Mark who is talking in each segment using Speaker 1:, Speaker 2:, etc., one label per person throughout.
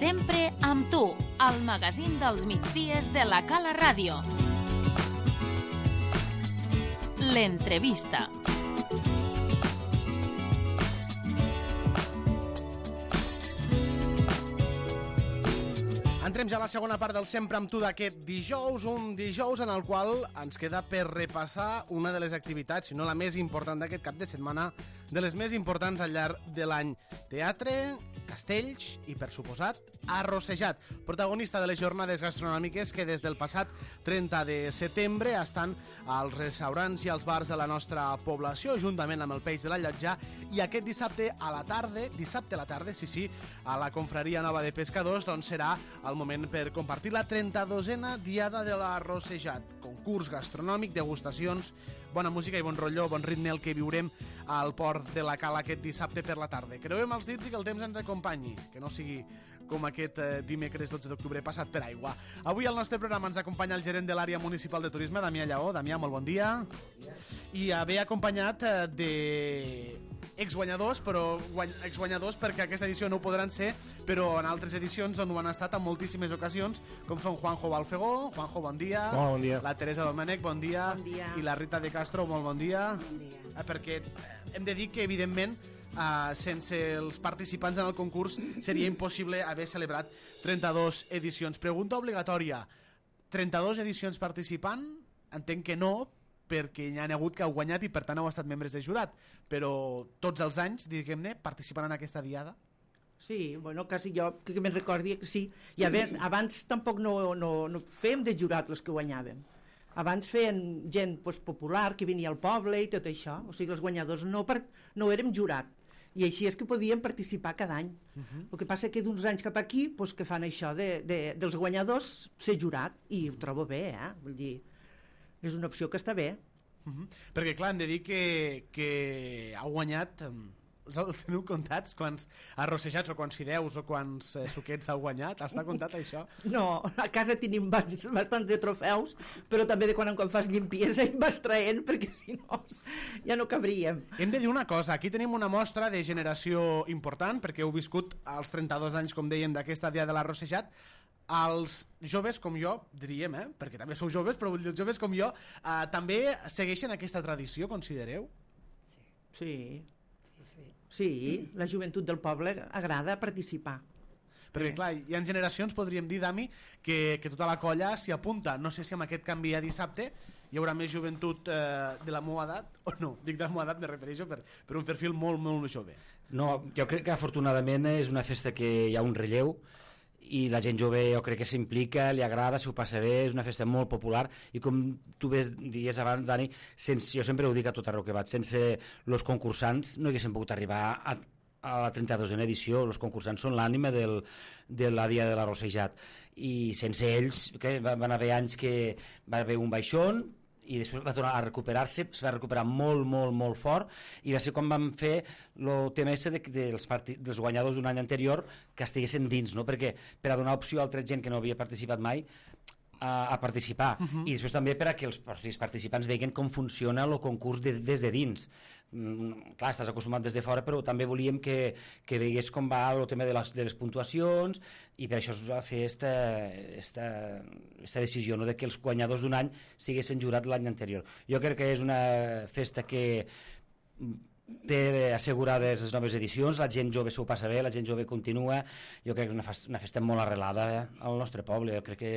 Speaker 1: Sempre amb tu, al magazín dels migdies de la Cala Ràdio. L'entrevista.
Speaker 2: Entrem ja a la segona part del Sempre amb tu d'aquest dijous, un dijous en el qual ens queda per repassar una de les activitats, si no la més important d'aquest cap de setmana, de les més importants al llarg de l'any. Teatre, castells i, per suposat, arrossejat. Protagonista de les jornades gastronòmiques que des del passat 30 de setembre estan als restaurants i als bars de la nostra població, juntament amb el Peix de la Llotja, i aquest dissabte a la tarda, sí, a la Confraria Nova de Pescadors, doncs serà el moment per compartir la 32a Diada de l'Arrossejat. Concurs gastronòmic, degustacions, bona música i bon rotllo, bon ritme el que viurem al port de la Cala aquest dissabte per la tarda. Creuem els dits i que el temps ens acompanyi, que no sigui com aquest dimecres 12 d'octubre passat per aigua. Avui al nostre programa ens acompanya el gerent de l'àrea municipal de turisme, Damià Lleó. Damià, molt bon dia. Bon dia. I ve acompanyat de exguanyadors, però exguanyadors perquè aquesta edició no ho podran ser, però en altres edicions on ho han estat en moltíssimes ocasions, com són Juanjo Balfegó. Juanjo, bon dia.
Speaker 3: Bon dia.
Speaker 2: La Teresa Domènech, bon dia.
Speaker 4: Bon dia.
Speaker 2: I la Rita de Castro, molt bon dia.
Speaker 4: Bon dia.
Speaker 2: Perquè hem de dir que, evidentment, sense els participants en el concurs seria impossible haver celebrat 32 edicions. Pregunta obligatòria. 32 edicions participant? Entenc que no, perquè hi ha hagut que heu guanyat i per tant heu estat membres de jurat, però tots els anys, diguem-ne, participant en aquesta diada?
Speaker 4: Sí, bueno, quasi jo que me'n recordi que sí. I a més, abans tampoc no fèiem de jurat els que guanyàvem. Abans feien gent popular que venia al poble i tot això. O sigui, els guanyadors no érem jurat. I així és que podíem participar cada any. El que passa que d'uns anys cap aquí que fan això dels guanyadors ser jurat, i ho trobo bé, vull dir, és una opció que està bé.
Speaker 2: Perquè clar, hem de dir que ha guanyat, el teniu comptats quants arrossejats o quants fideus o quants suquets ha guanyat? Està comptat això?
Speaker 4: No, a casa tenim bastants de trofeus, però també de quan en quan fas limpiesa i vas traient, perquè si no ja no cabríem.
Speaker 2: Hem de dir una cosa, aquí tenim una mostra de generació important, perquè heu viscut els 32 anys, com dèiem, d'aquesta dia de l'arrossejat. Els joves com jo, diríem, perquè també sou joves, però els joves com jo també segueixen aquesta tradició, considereu?
Speaker 4: Sí, la joventut del poble agrada participar.
Speaker 2: Perquè clar, hi ha generacions, podríem dir, Dami, que tota la colla s'hi apunta. No sé si amb aquest canvi a dissabte hi haurà més joventut de la meva edat o no. Dic de la meva edat, me refereixo per un perfil molt, molt més jove.
Speaker 3: No, jo crec que afortunadament és una festa que hi ha un relleu i la gent jove jo crec que s'implica, li agrada, s'ho passa bé, és una festa molt popular i com tu dies abans, Dani, jo sempre ho dic a tot arreu que vaig, sense els concursants no haguéssim pogut arribar a la 32a edició. Els concursants són l'ànima de la Dia de l'Arrossejat i sense ells van haver anys que va haver un baixón i després va tornar a recuperar-se, es va recuperar molt, molt, molt fort, i va ser quan vam fer el tema dels guanyadors d'un any anterior que estiguessin dins, no? Perquè per a donar opció a altra gent que no havia participat mai a participar, i després també per a que els participants vegin com funciona el concurs des de dins. Clar, estàs acostumat des de fora, però també volíem que vegués com va el tema de les puntuacions, i per això es va fer esta decisió, no?, de que els guanyadors d'un any siguessin jurat l'any anterior. Jo crec que és una festa que té assegurades les noves edicions, la gent jove s'ho passa bé, la gent jove continua. Jo crec que és una festa molt arrelada al nostre poble. Jo crec que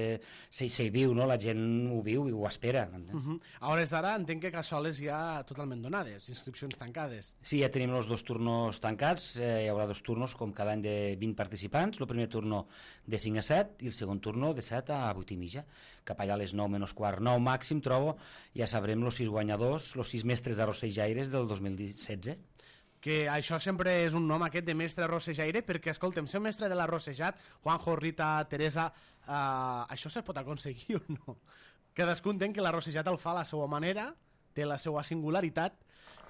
Speaker 3: s'hi viu, no? La gent ho viu i ho espera.
Speaker 2: A hores d'ara entenc que cassoles ja totalment donades, inscripcions tancades.
Speaker 3: Sí, ja tenim els 2 turnos tancats. Hi haurà 2 turnos com cada any de 20 participants, el primer turno de 5 a 7 i el segon turno de 7 a 8 i mitja, cap allà a les 9 menys quart, 9 màxim, trobo. Ja sabrem els 6 guanyadors, els 6 mestres arrossejaires del 2016.
Speaker 2: Que això sempre és un nom aquest de mestre arrossejaire, perquè, escolta'm, ser un mestre de l'arrossejat, Juanjo, Rita, Teresa, això se pot aconseguir o no? Cadascú entén que l'arrossejat el fa a la seva manera, té la seva singularitat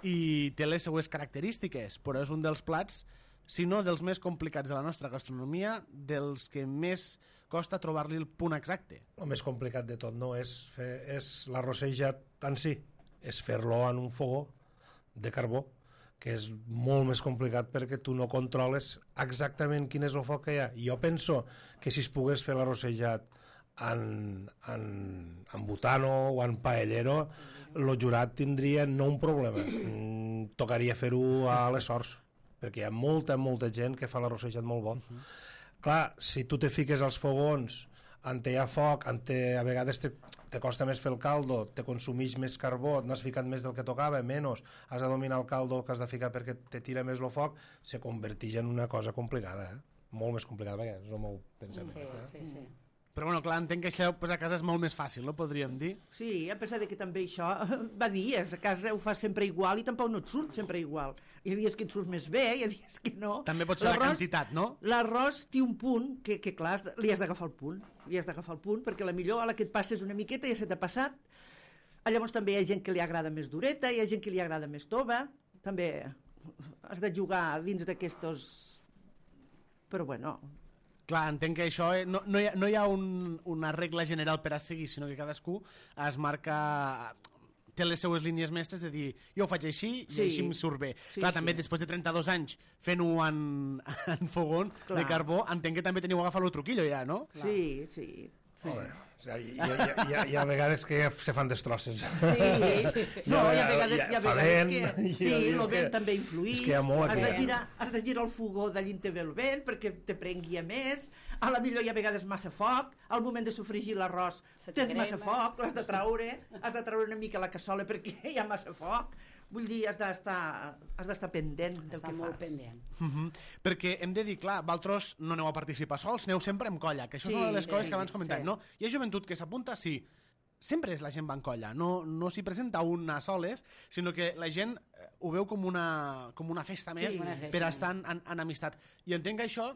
Speaker 2: i té les seues característiques, però és un dels plats, si no dels més complicats de la nostra gastronomia, dels que més costa trobar-li el punt exacte.
Speaker 5: El més complicat de tot no és l'arrossejat en si, és fer-lo en un fogó de carbó, que és molt més complicat perquè tu no controles exactament quin és el foc que hi ha. Jo penso que si es pogués fer l'arrossejat en butano o en paellero, el jurat tindria no un problema, tocaria fer-ho a les sorts, perquè hi ha molta gent que fa l'arrossejat molt bo. Clar, si tu te fiques als fogons on hi ha foc, a vegades te costa més fer el caldo, te consumeix més carbó, n'has ficat més del que tocava, menys, has de dominar el caldo que has de ficar perquè te tira més el foc, se converteix en una cosa complicada, molt més complicada, perquè és el meu pensament.
Speaker 6: Sí.
Speaker 2: Però bueno, clar, entenc que això pues, a casa és molt més fàcil, no podríem dir?
Speaker 4: Sí, a pesar de que també això va dies, a casa ho fas sempre igual i tampoc no et surt sempre igual. Hi ha dies que et surt més bé, hi ha dies que no.
Speaker 2: També pot ser la quantitat, no?
Speaker 4: L'arròs té un punt que clar, li has d'agafar el punt, perquè la millor a la que et passes una miqueta ja se t'ha passat. Llavors també hi ha gent que li agrada més dureta, hi ha gent que li agrada més tova, també has de jugar dins d'aquestos... Però bueno...
Speaker 2: Clar, entenc que això no hi ha una regla general per a seguir, sinó que cadascú es marca... té les seues línies mestres de dir jo ho faig així i així em surt bé. Clar, també després de 32 anys fent-ho en fogón de carbó, entenc que també teniu agafat el truquillo ja, no?
Speaker 4: Sí.
Speaker 5: Hi ha vegades que se fan destrosses.
Speaker 4: Sí. No, hi ha vegades que... Sí, el vent també influïx.
Speaker 5: És que hi ha molt
Speaker 4: has de girar el fogó d'allí on te ve el vent perquè te prengui a més. A la millor hi ha vegades massa foc. Al moment de sofregir l'arròs tens massa foc, l'has de treure. Has de treure una mica la cassola perquè hi ha massa foc. Vull dir, has d'estar pendent del que fas.
Speaker 6: Està molt pendent.
Speaker 2: Perquè hem de dir, clar, vosaltres no aneu a participar sols, aneu sempre en colla, que això és una de les coses que abans comentàvem, no? Hi ha joventut que s'apunta, sí, sempre és la gent va en colla, no s'hi presenta una soles, sinó que la gent ho veu com una festa més per estar en amistat. I entenc que això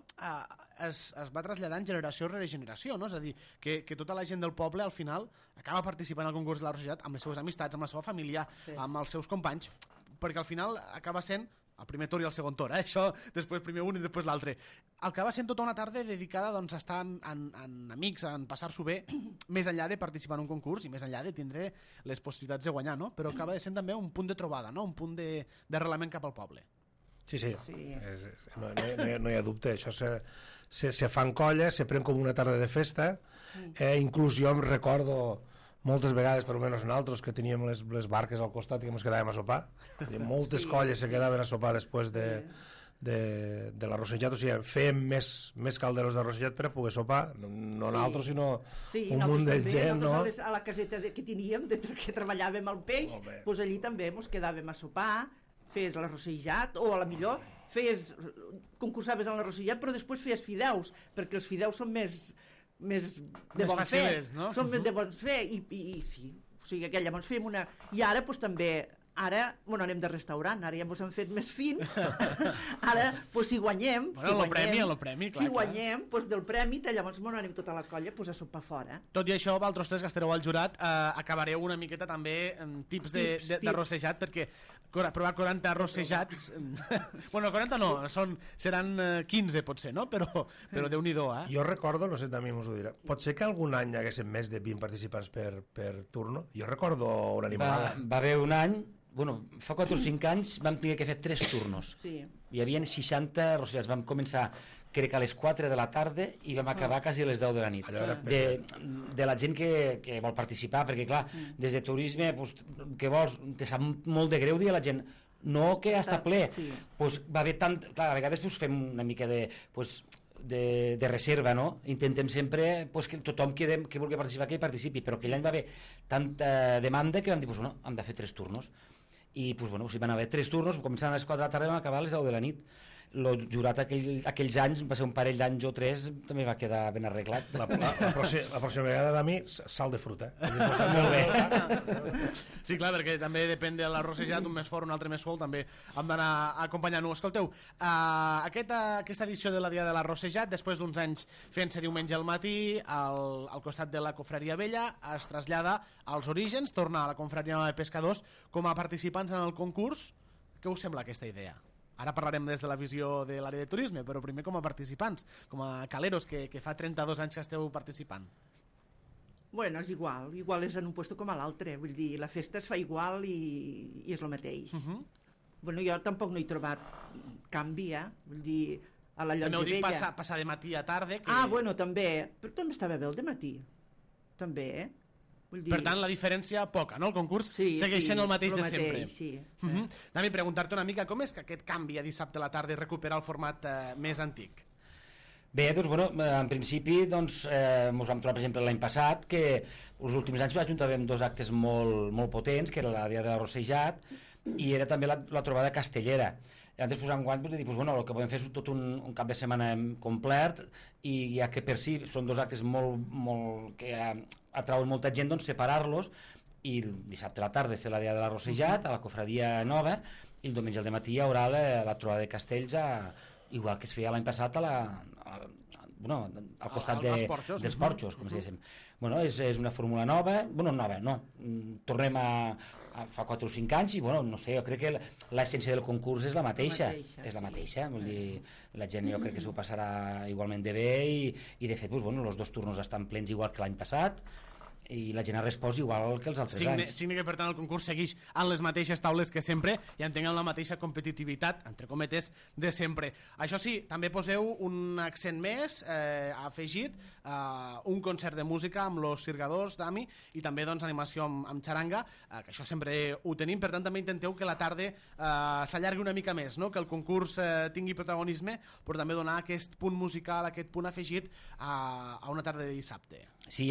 Speaker 2: es va traslladant generació rere generació, no? És a dir, que tota la gent del poble al final acaba participant al concurs de l'arrossejat amb les seves amistats, amb la seva família, amb els seus companys, perquè al final acaba sent el primer torn i el segon torn, això després primer un i després l'altre. Acaba sent tota una tarda dedicada doncs, a estar en amics, a passar-s'ho bé, més enllà de participar en un concurs i més enllà de tindre les possibilitats de guanyar, no? Però acaba de ser també un punt de trobada, no? Un punt d'arrelament cap al poble.
Speaker 5: Sí. No hi ha dubte, això se fa en colla, se pren com una tarda de festa, inclús jo em recordo moltes vegades, per almenys nosaltres, que teníem les barques al costat i que ens quedàvem a sopar. Moltes colles se quedaven a sopar després de l'arrossejat, o sigui, fèiem més calderos d'arrossejat per a poder sopar, no nosaltres, sinó un munt de gent, no?
Speaker 4: A la caseta que teníem, que treballàvem el peix, doncs allí també ens quedàvem a sopar, feies l'arrossejat, o a la millor concursaves en l'arrossejat, però després feies fideus, perquè els fideus són més de bon fer,
Speaker 2: no?
Speaker 4: Són més de bon fer i sí, o sigui que llavors fèiem una... I ara doncs també, anem de restaurant, ara ja ens hem fet més fins, ara doncs si guanyem,
Speaker 2: el premi, clar,
Speaker 4: si guanyem doncs del premi, llavors anem tota la colla a sopar fora.
Speaker 2: Tot i això, vosaltres tres que estareu al jurat, acabareu una miqueta també en tips d'arrossejat, perquè provar 40 arrossejats... Bueno, 40 no, seran 15 potser, no? Però Déu-n'hi-do,
Speaker 5: Jo recordo, no sé, també us ho diré, pot ser que algun any hi haguessin més de 20 participants per turno? Jo recordo una animada.
Speaker 3: Va haver un any, fa 4 o 5 anys vam tenir que fer 3 turnos.
Speaker 4: Sí.
Speaker 3: Hi havia 60 arrossejats, vam començar crec a les 4 de la tarda i vam acabar quasi a les 10 de la nit. De la gent que vol participar, perquè clar, des de turisme, què vols? Te sap molt de greu dir a la gent no que ja està ple. Va haver tant... Clar, a vegades fem una mica de reserva, no? Intentem sempre que tothom que vulgui participar que hi participi, però aquell any va haver tanta demanda que vam dir, hem de fer 3 turnos. I van haver 3 turnos, començant a les 4 de la tarda i vam acabar a les 10 de la nit. El jurat aquells anys, va ser un parell d'anys o 3, també va quedar ben arreglat.
Speaker 5: La pròxima vegada de mi, sal de fruta.
Speaker 3: Molt bé.
Speaker 2: Sí, clar, perquè també depèn de l'arrossejat, un més fort, un altre més suau, també hem d'anar acompanyant-ho. Escolteu, aquesta edició de la Dia de l'Arrossejat, després d'uns anys fent-se diumenge al matí, al costat de la Confraria Vella, es trasllada als orígens, torna a la Confraria de Pescadors com a participants en el concurs. Què us sembla aquesta idea? Ara parlarem des de la visió de l'àrea de turisme, però primer com a participants, com a caleros que fa 32 anys que esteu participant.
Speaker 4: Bueno, és igual és en un puesto com a l'altre, vull dir, la festa es fa igual i és el mateix. Bueno, jo tampoc no he trobat canvi, vull dir, a la
Speaker 2: També
Speaker 4: llotja
Speaker 2: ho dic
Speaker 4: vella.
Speaker 2: passar de matí a tarda. Que...
Speaker 4: Bueno, també, però també estava bé el de matí. També, Vull dir...
Speaker 2: Per tant, la diferència poca, no? El concurs segueix sent el mateix de sempre.
Speaker 4: Sí,
Speaker 2: Dami, preguntar-te una mica com és que aquest canvi a dissabte a la tarda i recuperar el format més antic?
Speaker 3: Bé, doncs, bueno, en principi, doncs, ens vam trobar, per exemple, l'any passat, que els últims anys ajuntàvem dos actes molt potents, que era la Dia de la Rossejat i era també la trobada castellera. I antes posant guant, doncs, bueno, el que podem fer és tot un cap de setmana complet, i ja que per si són dos actes molt que atrauen molta gent, doncs separar-los, i el dissabte a la tarda fer la Dia de la Rossejat a la Cofradia Nova, i el diumenge al dematí hi haurà la trobada de castells igual que es feia l'any passat al costat dels porxos, com si diguéssim. Bueno, és una fórmula nova, tornem a fa 4 o 5 anys i, bueno, no sé, jo crec que l'essència del concurs és la mateixa, vull dir, la gent jo crec que s'ho passarà igualment de bé i de fet, doncs, els dos turnos estan plens igual que l'any passat i la gent ha respost igual que els altres anys.
Speaker 2: Signa que, per tant, el concurs segueix en les mateixes taules que sempre i en tenen la mateixa competitivitat, entre cometes, de sempre. Això sí, també poseu un accent més afegit, un concert de música amb los Sirgadors, Dami, i també doncs, animació amb xaranga, que això sempre ho tenim, per tant també intenteu que la tarda s'allargui una mica més, no? Que el concurs tingui protagonisme, però també donar aquest punt musical, aquest punt afegit a una tarda de dissabte.
Speaker 3: Sí,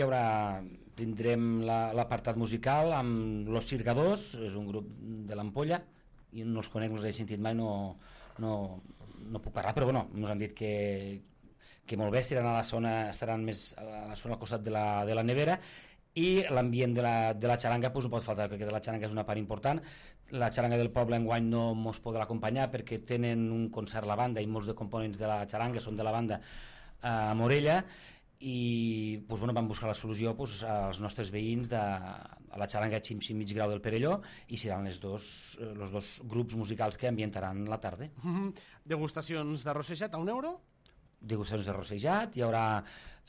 Speaker 3: tindrem l'apartat musical amb Los Sirgadors, és un grup de l'Ampolla, i no els conec, no els he sentit mai, no puc parlar, però bueno, ens han dit que molt bé, estaran més a la zona al costat de la nevera, i l'ambient de la xaranga doncs, no pot faltar, perquè la xaranga és una part important. La xaranga del poble enguany no ens podrà acompanyar perquè tenen un concert a la banda i molts de components de la xaranga són de la banda a Morella, i doncs, bueno, vam buscar la solució doncs, als nostres veïns a la xaranga Xim Mig Grau del Perelló, i seran els dos grups musicals que ambientaran la tarda.
Speaker 2: Degustacions de rossejat a €1?
Speaker 3: Degustacions de rossejat, hi haurà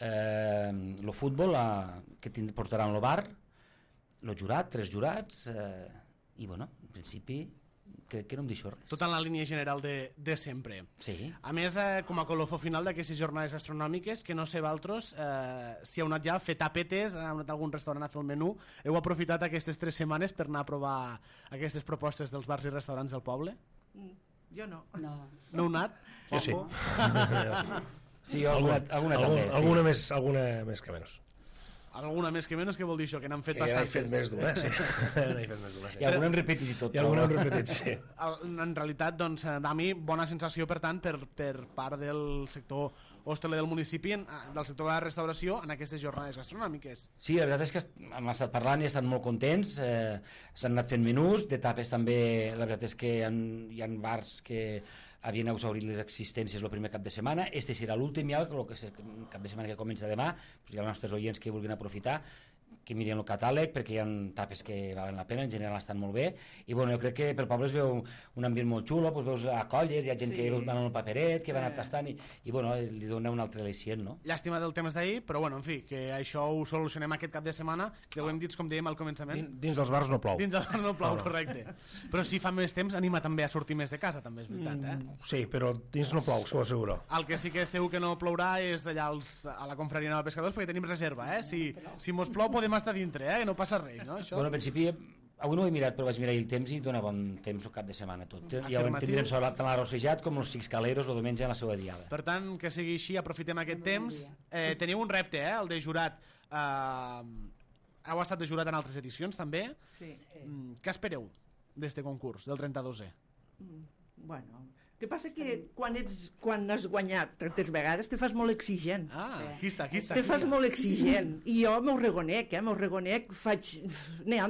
Speaker 3: el futbol que portaran el bar, el jurat, 3 jurats, i bueno, en principi crec que no em deixo res.
Speaker 2: Tot en la línia general de sempre.
Speaker 3: Sí.
Speaker 2: A més, com a colofó final d'aquestes jornades gastronòmiques, que no sé vosaltres, si heu anat ja a fer tapetes, heu anat a algun restaurant a fer el menú, heu aprofitat aquestes 3 setmanes per anar a provar aquestes propostes dels bars i restaurants del poble?
Speaker 4: Jo no.
Speaker 1: No.
Speaker 2: No heu anat?
Speaker 5: Jo sí.
Speaker 3: Sí, alguna també.
Speaker 5: Alguna més que menys.
Speaker 2: Alguna més que menys, què vol dir això? Que n'han fet
Speaker 5: bastantes.
Speaker 2: bastantes.
Speaker 5: N'he fet més d'una, sí.
Speaker 3: I alguna hem repetit i tot.
Speaker 5: I alguna hem repetit, sí.
Speaker 2: En realitat, doncs, Dami, bona sensació, per tant, per part del sector hosteler del municipi, del sector de la restauració, en aquestes jornades gastronòmiques.
Speaker 3: Sí, la veritat és que hem estat parlant i estan molt contents, s'han anat fent menús, de tapes també, la veritat és que hi ha bars que havien exhaurit les existències el primer cap de setmana. Este serà l'últim ja, el cap de setmana que comença demà, doncs hi ha els nostres oients que vulguin aprofitar, que mirin el catàleg, perquè hi ha tapes que valen la pena, en general estan molt bé, i bueno, jo crec que pel poble es veu un ambient molt xulo, doncs veus a colles, hi ha gent que van amb el paperet, que van tastant, i bueno, li dona un altre al·licient, no?
Speaker 2: Llàstima del temps d'ahir, però bueno, en fi, que això ho solucionem aquest cap de setmana, que ho hem dit, com dèiem al començament.
Speaker 5: Dins dels bars no plou.
Speaker 2: Dins dels bars no plou, correcte. Però si fa més temps, anima també a sortir més de casa, també és veritat,
Speaker 5: Sí, però dins no plou, s'ho asseguro.
Speaker 2: El que sí que és segur que no plourà és allà a la confraria Nova Pescadors, perquè tenim reserva, Si mos plou podem estar dintre, que no passa res, no? Això...
Speaker 3: Bueno, en principi, avui no ho he mirat, però vaig mirar el temps i dona bon temps el cap de setmana tot. Ja ho tindrem sobre tant la rossejat com els Xicaleros el diumenge en la seva diada.
Speaker 2: Per tant, que sigui així, aprofitem aquest temps. Teniu un repte, el de jurat. Heu estat de jurat en altres edicions, també.
Speaker 4: Sí.
Speaker 2: Què espereu d'este concurs, del 32è?
Speaker 4: Bueno, el que passa que quan has guanyat tantes vegades te fas molt exigent.
Speaker 2: Aquí està.
Speaker 4: Te fas molt exigent. I jo m'ho reconec, faig... N'hi ha...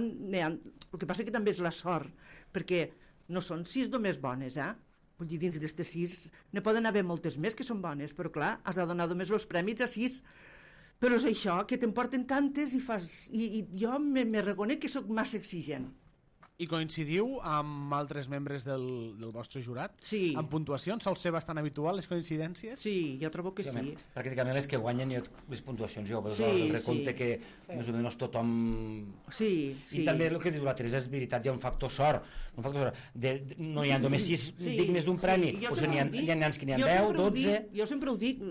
Speaker 4: El que passa que també és la sort, perquè no són 6 només bones, Vull dir, dins d'aquestes 6 ne poden haver moltes més que són bones, però clar, has de donar només els prèmits a 6. Però és això, que t'emporten tantes i fas... I jo me reconec que sóc massa exigent.
Speaker 2: I coincidiu amb altres membres del vostre jurat?
Speaker 4: Sí.
Speaker 2: En puntuacions? Sol ser bastant habitual les coincidències?
Speaker 4: Sí, jo trobo que sí.
Speaker 3: Pràcticament les que guanyen les puntuacions, jo veus el recompte que més o menys tothom...
Speaker 4: Sí.
Speaker 3: I també el que diu la Teresa és veritat, hi ha un factor sort. No hi ha només 6 dignes d'un premi, n'hi ha nans que n'hi ha 10, 12...
Speaker 4: Jo sempre ho dic,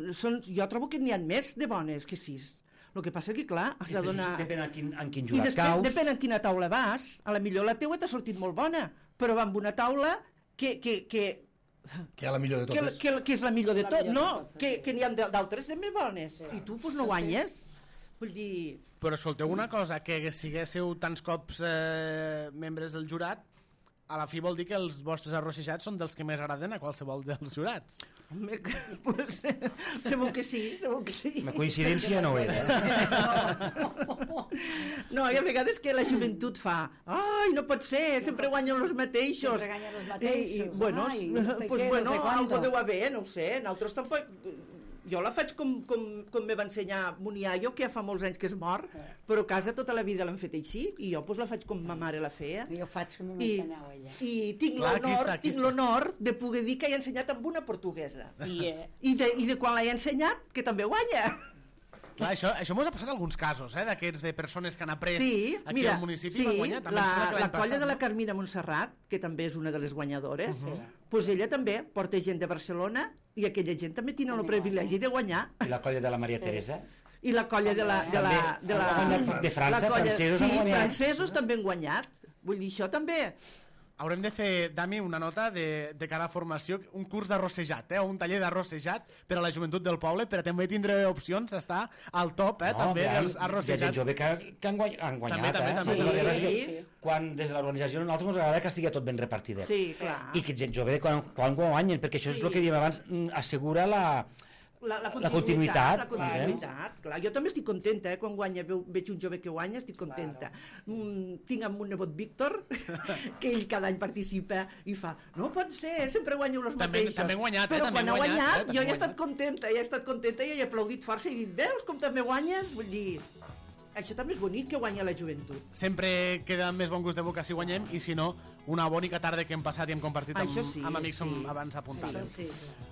Speaker 4: jo trobo que n'hi ha més de bones que 6. El que passa és que, clar, has de donar...
Speaker 3: Depèn en quin
Speaker 4: I
Speaker 3: jurat caus.
Speaker 4: depèn en quina taula vas. A la millor la teua t'ha sortit molt bona, però va amb una taula que
Speaker 5: hi ha la millor de totes.
Speaker 4: que és la millor de tot. No, que n'hi ha d'altres de més bones. I tu doncs no guanyes. Vull dir...
Speaker 2: Però escolteu una cosa, que siguéssiu tants cops membres del jurat, a la fi vol dir que els vostres arrossejats són dels que més agraden a qualsevol dels jurats.
Speaker 4: Home, pues, segur que sí, segur que sí.
Speaker 3: La coincidència no ho és,
Speaker 4: No, i a vegades que la joventut fa ai, no pot ser, sempre guanyen els mateixos.
Speaker 6: Sempre guanyen els mateixos.
Speaker 4: Bueno,
Speaker 6: Ai, no sé
Speaker 4: pues
Speaker 6: què,
Speaker 4: bueno,
Speaker 6: no sé quanto.
Speaker 4: algo deu haver, no ho sé. Nosaltres tampoc... Jo la faig com me va ensenyar mon iaio, que ja fa molts anys que es mor, però a casa tota la vida l'han fet així, i jo pues, la faig com ma mare la feia.
Speaker 6: Jo faig com m'ensenyava ella.
Speaker 4: I tinc l'honor de poder dir que he ensenyat amb una portuguesa. I de quan l'he ensenyat, que també guanya.
Speaker 2: Clar, això mos ha passat alguns casos, d'aquests de persones que han après aquí al municipi i van guanyar.
Speaker 4: La colla de la Carmina Montserrat, que també és una de les guanyadores, doncs ella també porta gent de Barcelona i aquella gent també tenen el privilegi de guanyar.
Speaker 3: I la colla de la Maria Teresa?
Speaker 4: I la colla de
Speaker 3: França, francesos han guanyat.
Speaker 4: Francesos també han guanyat. Vull dir, això també...
Speaker 2: Haurem de fer, Dami, una nota de cara a formació, un curs d'arrossejat, un taller d'arrossejat per a la joventut del poble, però també tindré opcions d'estar al top, també, dels arrossejats.
Speaker 3: Hi ha gent jove que han guanyat,
Speaker 4: també.
Speaker 3: Quan des de l'organització a nosaltres ens agrada que estigui tot ben repartit.
Speaker 4: Sí, clar.
Speaker 3: I que gent jove quan guanyen, perquè això és el que diem abans, assegura la continuïtat.
Speaker 4: Clar. Jo també estic contenta, quan guanya, veig un jove que guanya, estic contenta. Tinc amb un nebot Víctor, que ell cada any participa i fa, no pot ser, sempre guanyo els mateixos.
Speaker 2: També he guanyat,
Speaker 4: però quan ha guanyat, jo ja he estat contenta, i he aplaudit força i he dit, veus com també guanyes? Vull dir, això també és bonic que guanya la joventut.
Speaker 2: Sempre queda més bon gust de boca si guanyem, i si no, una bonica tarda que hem passat i hem compartit amb amics com abans apuntàvem.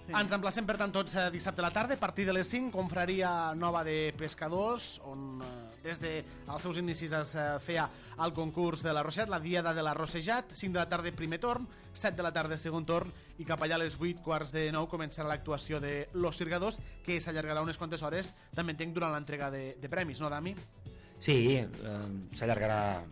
Speaker 2: Ens emplacem, per tant, tots dissabte a la tarda, a partir de les 5, confraria nova de pescadors, on des dels seus inicis es feia el concurs de l'arrossejat, la diada de l'arrossejat, 5 de la tarda primer torn, 7 de la tarda segon torn, i cap allà a les 8:45 començarà l'actuació de Los Sirgadors, que s'allargarà unes quantes hores, també entenc, durant l'entrega de premis, no, Dami?
Speaker 3: Sí, s'allargarà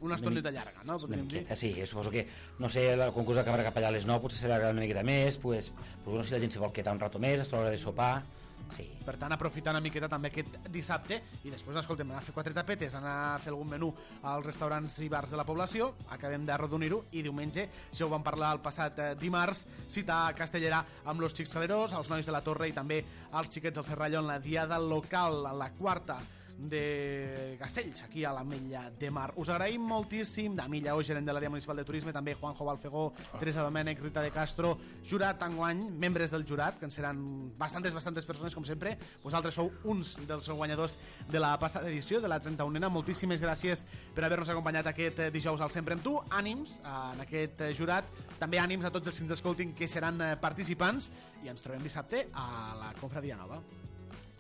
Speaker 2: una estoneta llarga, no? Podríem dir.
Speaker 3: Sí, suposo que, no sé, el concurs acabarà cap allà a les 9, potser s'allargarà una miqueta més, pues, bueno, si la gent se vol quedar un rato més, es trobarà de sopar, sí. Per
Speaker 2: tant, aprofitar una miqueta també aquest dissabte i després, escoltem, anar a fer 4 tapetes, anar a fer algun menú als restaurants i bars de la població, acabem d'arrodonir-ho, i diumenge, ja ho vam parlar el passat dimarts, cita a Castellera amb los xics salerós, els nois de la Torre i també els xiquets del Serralló en la diada local, la quarta de Castells, aquí a l'Ametlla de Mar. Us agraïm moltíssim, Dami Lleó, gerent de l'àrea municipal de turisme, també Juanjo Balfegó, Teresa Domènech, Rita de Castro, jurat enguany, membres del jurat, que en seran bastantes persones, com sempre. Vosaltres sou uns dels guanyadors de la passada edició, de la 31a. Moltíssimes gràcies per haver-nos acompanyat aquest dijous al Sempre amb tu. Ànims en aquest jurat, també ànims a tots els que ens escoltin, que seran participants, i ens trobem dissabte a la Confraria Nova.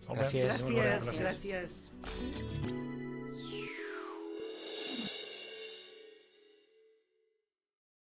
Speaker 3: Gràcies.
Speaker 4: Gràcies.